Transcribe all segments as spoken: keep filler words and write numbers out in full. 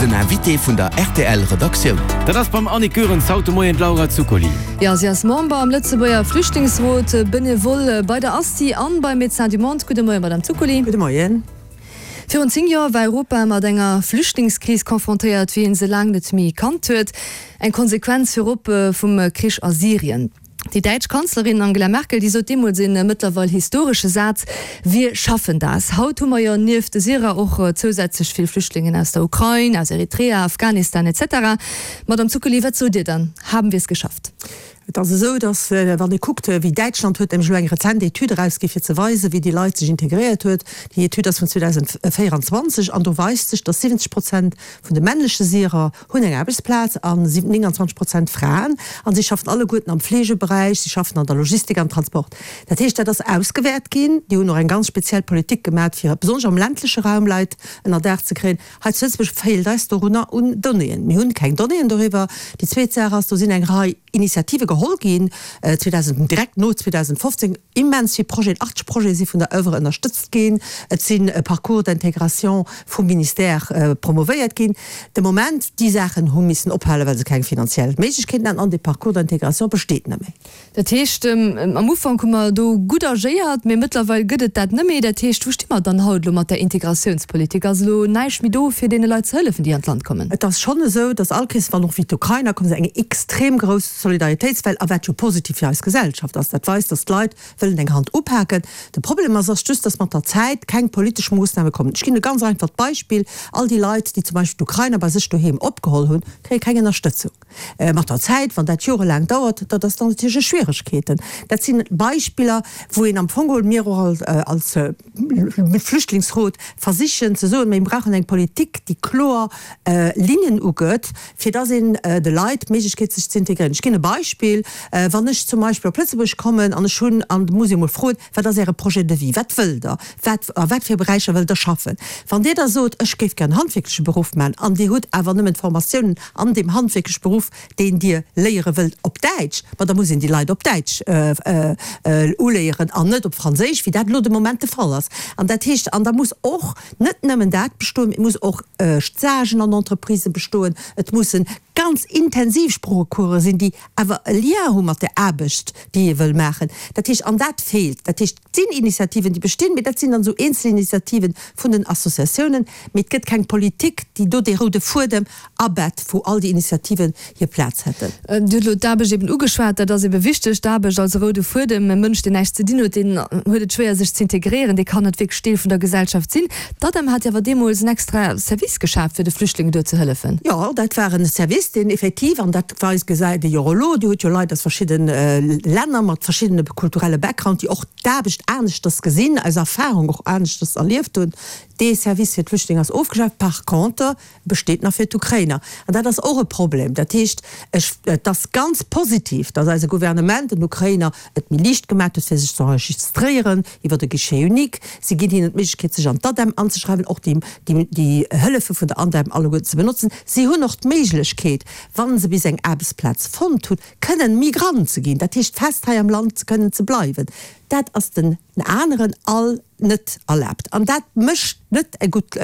Den Invité vun der R T L Redaktioun. Dat ass beim Annick Goerens haut de Moien d'Laura Zuccoli. Ja, si ass Member am Lëtzebuerger Flüchtlingsrot, Benevole bei der ASTI an bei Médecins du Monde. Gudde Moien, Madame Zuccoli. Gudde Moien. Virun zéng Joer war Europa mat enger Flüchtlingskris konfrontéiert, wéi een se laang net méi kannt huet. Eng Konsequenz virop vum Krich a Syrien. Déi däitsch Kanzlerin Angela Merkel, déi sot deemools een mëttlerweil historesche Saz, Wir schaffen das. Haut hu mer jo nieft de Syrer och zousätzlech vill Flüchtlingen aus der Ukrain, aus Eritrea, Afghanistan et cetera. Madame Zuccoli, wat sot Dir dann? Haben wir es geschafft? Et ass esou, datt, wann ee kuckt, wéi Däitschland huet nämlech elo eng rezent Etüd erausgi fir ze weisen, wéi déi Leit sech integréiert huet. Déi Etüd ass vun zweedausendvéierenzwanzeg an do weist sech, datt siwwenzeg Prozent vun de männleche Syrer hunn eng Aarbechtsplaz an nénganzwanzeg Prozent Fraen. An si schaffen alleguerten am Fleegeberäich, si schaffen an der Logistik, am Transport. Dat heescht, dat ass ausgewäert ginn. Déi hunn och eng ganz speziell Politik gemat, fir besonnesch am ländleche Raum Leit ënner Daach ze kréien. Hei zu Lëtzebuerg feelt eis dorunner un Donnéeën. Mir hunn keng Donnéeën doriwwer. Déi zweet Saach ass, do sinn eng Rei Initiative geholl ginn, zweedausend, direkt no zweedausendfofzéng, immens vill Projeten, achtzeg Projete si vun der Oeuvre ënnerstëtzt ginn, et sinn Parcours d'intégration vum Ministère promovéiert ginn. De Moment, déi Saachen hu missen ophalen, well se keng finanziell Méiglechkeeten haten, an dee Parcours d'intégration besteet net méi. Dat heescht, am Ufank hu mer do gutt agéiert, mee mëttlerweil gëtt et dat net méi. Dat heescht, wou sti mer dann haut elo mat der Integratiounspolitik? Ass elo näischt méi do, fir deene Leit ze hëllefen, déi an d'Land kommen? Et ass schonn esou, dass all Kéiers, wann och wéi d'Ukrainer kommen, eng extrem grouss Solidaritéitswell, a wat jo positiv fir eis Gesellschaft ass, dat weist, dass d'Leit wëllen eng Hand upaken. De Problem ass ass just, dass mat der Zäit keng politesch Moossname kommen. Ech ginn e ganz einfacht Beispill, All déi Leit, déi zum Beispill d'Ukrainer bei sech doheem opgeholl hunn, kréie keng Ënnerstëtzung. Mat der Zäit, wann dat jorelaang dauert, dat ass dann natierlech Schwieregkeeten. Dat si Beispiller, wou een am Fong geholl, mir och als Flüchtlingsrot versichen ze soen, mir brauchen eng Politik, déi kloer Linnen ugëtt, fir dass een de Leit d'Méiglechkeet sech ze integréieren. Ech ginn e Beispill, Wann ech zum Beispill op Lëtzebuerg kommen an ech hunn, an muss ee mol froen, wat ass Äre Projet de vie, wat wëllt Der, wat, a wat fir Beräicher wëllt Der schaffen? Wann Dir da sot, ech géif gär en handwierkleche Beruff maachen an Dir hutt awer nëmmen d'Formatiounen an deem handwierkleche Beruff, deen Dir léiere wëllt, op Däitsch, ma da muss een déi Leit op Däitsch uléieren an net op Franséisch, wéi dat elo de Moment de Fall ass. An dat heescht, an da muss och net nëmmen dat bestoen, mee et muss och Stagen an Entreprisë bestoen, et mussen ganz intensiv Sproochecourse sinn, déi awer e Lien hu mat der Aarbecht, déi ee wëll maachen. Dat heescht, an dat feelt. Dat heescht, et sinn Initiativen, déi bestinn, mee dat sinn dann esou Eenzelinitiativen vun den Associatiounen, mee et gëtt keng Politik, déi do dee roude Fuedem abett, wou all déi Initiativen hir Plaz hätten. Dir hutt elo d'Aarbecht eben ugeschwat. Dat ass ebe wichteg, d'Aarbecht als roude Fuedem. E Mënsch, deen näischt ze dinn huet, deen huet et schwéier, sech z'integréieren, dee kann net wierklech Deel vun der Gesellschaft sinn. D'ADEM hat jo awer deemools en extra Service geschaaft, fir de Flüchtlingen do ze hëllefen. Jo, dat war en Service, deen effektiv, an dat weist, gesäit ee jo och elo, Dir hutt jo Leit aus verschiddene Länner mat verschiddene kulturelle Background, déi och d'Aarbecht aneschters gesinn, aus Erfahrung och aneschters erlieft hunn. Dee Service fir d'Flüchtlinge ass ofgeschaaft, par contre besteet nach fir d'Ukrainer. An dat ass och e Problem. Dat heescht, ech, et ass ganz positiv, datt eise Gouvernement den Ukrainer et méi liicht gemaat huet, fir sech ze enregistréieren iwwer de Guichet unique. Si ginn hinnen d'Méiglechkeet, sech an d'ADEM anzeschreiwen, och déi, déi, déi Hëllefe vun der ADEM alleguerten ze benotzen. Si hunn och d'Méiglechkeet, wa se bis eng Aarbechtsplaz fonnt hunn, kënnen Migrant ze ginn, dat heescht fest hei am Land ze kënnen ze bleiwen. Dat ass den aneren all net erlaabt. An dat mécht net e gutt,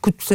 gutt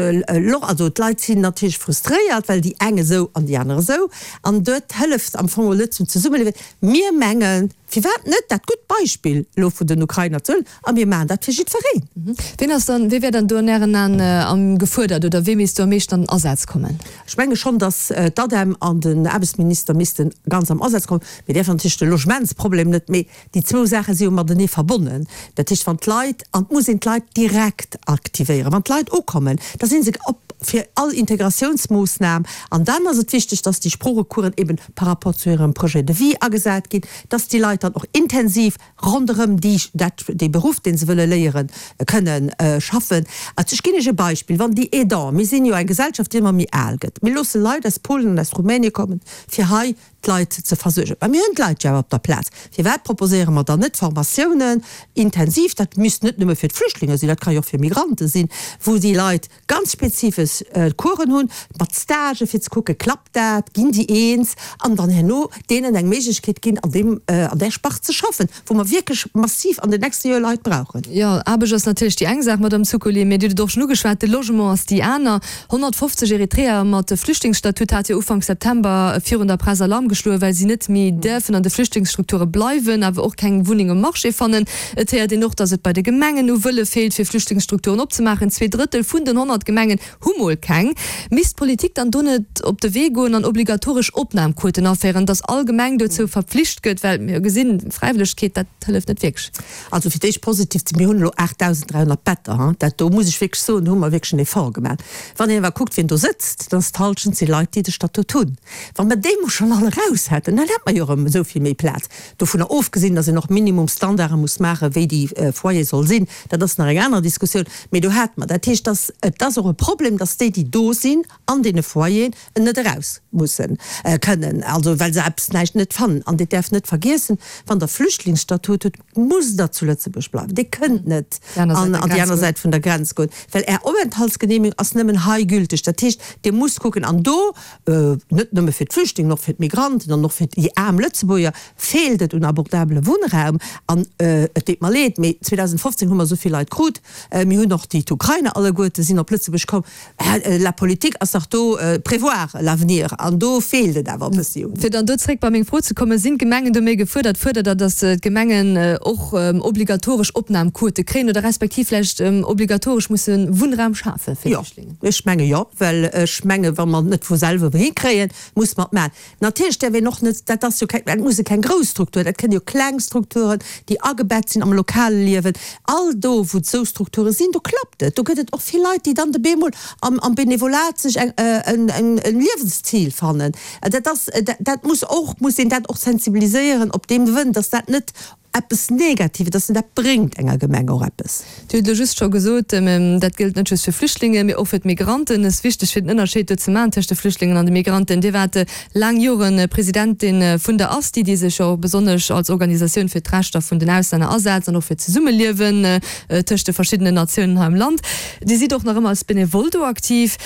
Loch. Also d'Leit sinn natierlech frustréiert, well déi eng esou an déi aner esou. An dat hëlleft am Fong net zum Zesummeliewen. Mir mengen, firwat net dat gutt Beispill elo vun den Ukrainer ze huelen a mir maachen dat fir jiddwereen. Wien ass dann, wee wär dann do an Ären Aen am gefuerdert oder wee misst do am meeschten an den Asaz kommen? Ech menge schonn, datt d'ADEM an den Aarbechtsminister misste ganz am Asaz kommen. Mir däerfen natierlech de Logementsproblem net, mee déi zwou Saache si jo matenee verbonnen. Dat heescht, wann d'Leit, an et muss een d'Leit direkt aktivéieren, wann d'Leit ukommen, da si se op fir all Integratiounsmoossnam. An dann ass et wichteg, datt déi Sproochecoursen eben par rapport zu hirem Projet de vie agesat ginn, datt déi Leit dann och intensiv ronderëm déi, dat, dee Beruff, dee se wëlle léieren, kënnen schaffen. Also ech ginn Iech e Beispill, Wann déi Aidants, mir sinn jo eng Gesellschaft, déi ëmmer méi al gëtt, mir loosse Leit aus Polen an aus Rumänien kommen, fir hei d'Leit ze versuergen. Mä mir hunn d'Leit jo awer op der Plaz. Firwat proposéiere mer dann net Formatiounen intensiv, dat misst net nëmme fir d'Flüchtlinge sinn, dat ka jo och fir Migrante sinn, wou déi Leit ganz spezifesch Coursen hunn, mat Stagen, fir ze kucken, klappt dat, ginn déi eens, an dann herno deenen eng Méiglechkeet ginn, an deem, an där Spart ze schaffen, wou mer wierklech massiv an den nächste Joer Leit brauchen. Jo, Aarbecht ass natierlech déi eng Saach, Madame Zuccoli, mee Dir hutt et och schonn ugeschwat, de Logement ass déi aner. honnertfofzeg Eritreeër mat Flüchtlingsstatut hat jo Ufank September virun der Press Alarm geschloen, well si net méi däerfen an de Flüchtlingsstrukture bleiwen, awer och keng Wunneng um Marché fannen. Et héiert een och, datt et bei de Gemengen u Wëlle feelt, fir Flüchtlingsstrukturen opzemaachen. Zwee Drëttel vun den honnert Gemengen hu mol keng. Misst d'Politik dann do net op de Wee goen an obligatoresch Opnamquoten aféieren, datt all Gemeng dozou verpflicht gëtt? Well mir gesinn, Fräiwëllegkeet, dat hëlleft net wierklech. Also fir d'éischt positiv ze, mir hunn elo aachtdausend dräihonnert Better, hein, dat do muss ech wierklech soen, do hu mer wierklech en Effort gemaach. Wann een awer kuckt, wien do sëtzt, dann ass d'Halschent si Leit, déi de Statut hunn. Wa mer déi mol schonn all eraus hätten, dann hätt mer jo erëm esou vill méi Plaz. Dovunner ofgesinn, datt een och Minimumstandarde muss maachen, wéi déi Foyer soll sinn, dat ass nach eng aner Diskussioun, mee do hate mer. Dat heescht, dass, et ass och e Problem, dass déi, déi do sinn an deene Foyeren, net eraus mussen kënnen, also well se eppes näischt net fannen. An Dir däerft net vergiessen, wann Der Flüchtlingsstatut hutt, musst Der zu Lëtzebuerg bleiwen. Dir kënnt net an déi aner Säit vun der Grenz goen, well Är Openthaltsgenehmigung ass nëmmen hei gülteg. Dat heescht, Dir musst kucken, an do, net nëmme fir d'Flüchtlingen, och fir d'Migranten an och fir déi aarm Lëtzebuerger, feelt et un abordabele Wunnraum. An et deet mer leed, mee zweedausendfofzéng hu mer esou vill Leit krut, mir hunn och déi d'Ukrainer alleguerte sinn op Lëtzebuerg komm. La politique ass dach do, prévoir l'avenir, an do feelt et awer e bëssi un. Fir dann do zréck bei meng Fro ze kommen, Sinn d'Gemengen do méi gefuerdert? Fuerdert Der, datt d'Gemengen och obligatoresch Opnamquote kréien oder respektiv vläicht obligatoresch musse Wunnraum schafe fir Flüchtlingen? Jo, ech menge jo, well ech menge wa mer et net vu selwer hikréien, muss mer et maachen. Natierlech däerf een och net, dat ass jo keng, dat musse keng grouss Strukturen, dat kënne jo kleng Strukturen, déi agebett sinn am lokale Liewen. All do, wou et esou Strukture sinn, do klappt et. Do gëtt et och vill Leit, déi dann de bemol am, am Benevolat sech eng, en, en, en Liewenszil fannen. Dat ass, dat muss och, muss een dat och sensibiliséieren op deem Wënn, dass dat net eppes Negatives, dass en dat bréngt enger Gemeng och eppes. Dir hutt elo just scho gesot, dat gëllt net just fir Flüchtlingen, mee och fir d'Migranten. Et ass wichteg, fir den Ënnerscheed do ze maachen tëscht de Flüchtlingen an de Migranten. Dir waart laang Jore Presidentin vun der ASTI, déi sech jo och besonnesch als Organisatioun fir d'Rechter vun den Auslänner asetzt an och fir d'Zesummeliewen tëscht de verschiddenen Natiounen hei am Land. Dir sidd och nach ëmmer als Benevole do aktiv.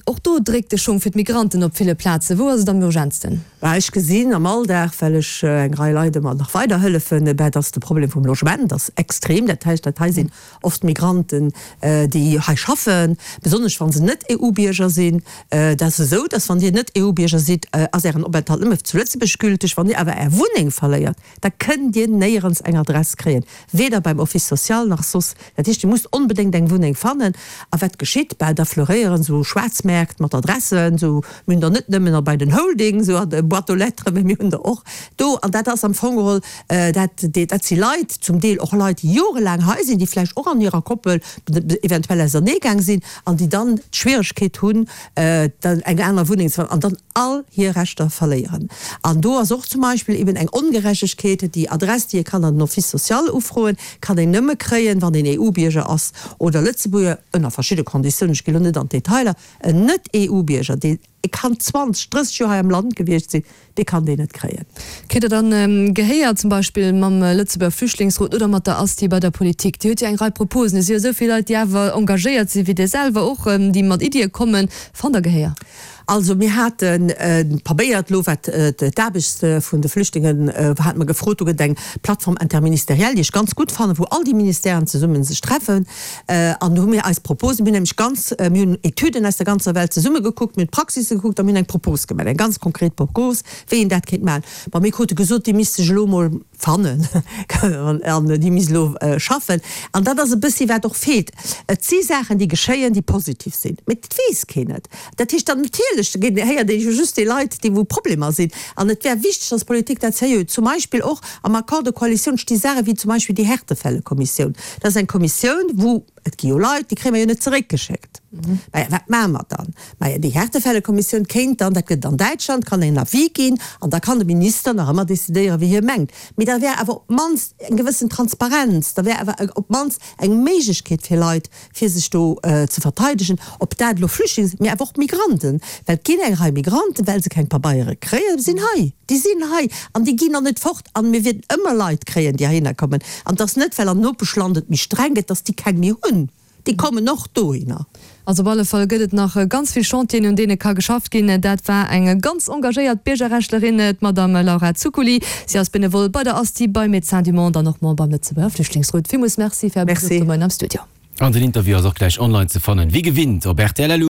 Och do dréckt de Schong fir d'Migranten op ville Plazen. Wou ass et am urgentsten? Bah, ech gesinn am Alldag, well ech eng Rei Leit ëmmer nach weider hëllefen, bah, dass de Problem vum Logement ass extrem. Dat heescht, dat hei sinn oft Migranten, déi hei schaffen, besonnesch wa se net E U-Bierger sinn. Et ass esou, dass wann Dir net E U-Bierger sidd, ass Ären Openthalt nëmme zu Lëtzebuerg gülteg. Wann Dir awer Är Wunneng verléiert, da kënnt Dir néierens eng Adress kréien, weder beim Office social nach soss. Dat heescht, Dir musst onbedéngt eng Wunneng fannen. A wat geschitt? Bah, da fleuréieren esou Schwaarzmäerkt mat Adressen, esou, mir hunn der net nëmmen bei den Holding, esou an de Boîte aux lettres, mä mir hunn der och do. An dat ass am Fong geholl, dat, dat si Leit, zum Deel och Leit, déi jorelaang hei sinn, déi vläicht och an hirer Koppel eventuell auserneegaang sinn an déi dann d'Schwieregkeet hunn, dann eng aner Wunneng ze fannen an dann all hir Rechter verléieren. An do ass och zum Beispill eben eng Ongerechtegkeet, déi Adress, déi ee kann an den Office social ufroen, kann een nëmme kréien, wann een E U-Bierger ass oder Lëtzebuerger, ënner verschidde Konditiounen, ech gi lo net an d'Detailer. En Net-E U-Bierger, dee kann zwanzeg, drësseg Joer hei am Land gewiescht sinn, dee kann déi net kréien. Kritt Der dann Gehéier, zum Beispill mam Lëtzebuerger Flüchtlingsrot oder mat der ASTI bei der Politik? Dir hutt jo eng Rei Proposen. Et si jo esou vill Leit, déi awer engagéiert sinn, wéi Dir selwer och, déi mat Iddie kommen. Fannt Der Gehéier? Also mir hate probéiert elo, wat d'Aarbecht vun de Flüchtlingen, hate mer gefrot, do gëtt et eng Plateforme interministérielle, déi ech ganz gutt fannen, wou all déi Ministèren zesumme sech treffen. An do hu mir eis Proposen, mir hunn nämlech ganz, mir hunn Etüden aus der ganzer Welt zesumme gekuckt, mir hunn d'Praxisse gekuckt a mir hunn eng Propos gemaach, eng ganz konkret Propos, wéi een dat kéint maachen. Bon, mir krute gesot, déi misst sech elo emol fannen an déi misst elo schaffen. An dat ass e bëssi wat och feelt. Et si Saachen, déi geschéien, déi positiv sinn, mee et weess keen et. Dat heescht dann natierlech héiert ee jo just déi Leit, déi wou Problemer sinn. An et wär wichteg, dass d'Politik dat sérieux huet. Zum Beispill och am Accord de coalition sti Saache wéi zum Beispill déi Härtefällekommissioun. Dat ass eng Kommissioun, wou, et gi jo Leit, déi kréie mer jo net zeréckgeschéckt. Maja, wat maache mer dann? Maja, déi Härtefällekommissioun kéint dann, dat gëtt et an Däitschland, kann en Avis ginn an da kann de Minister nach ëmmer decidéieren, wéi hie mengt. Mee da wär awer op d'mannst eng gewëssen Transparenz, da wär awer op d'mannst eng Méiglechkeet fir Leit, fir sech do ze verteidegen, ob dat elo Flüchtlinge sinn, mee awer och Migranten, well et ginn eng Rei Migranten, well se keng Pabeiere kréien, sinn hei, déi sinn hei an déi ginn och net fort an mir wäerten ëmmer Leit kréien, déi heihinner kommen. An et ass net, well am Nopeschland et méi streng gëtt, dass déi keng méi hunn, déi kommen och dohinner. Also op alle Fall gëtt et nach ganz vill Chantieren, un deene ka geschafft ginn. Dat war eng ganz engagéiert Biergerrechtlerin, d'Madame Laura Zuccoli. Si ass Benevole bei der Asti, bei Médecins du Monde an och Member am Lëtzebuerger Flüchtlingsrot. Villmools Merci fir Är Besuch de Moien am Studio. An den Interview ass och gläich online ze fannen, wéi gewinnt op rtl.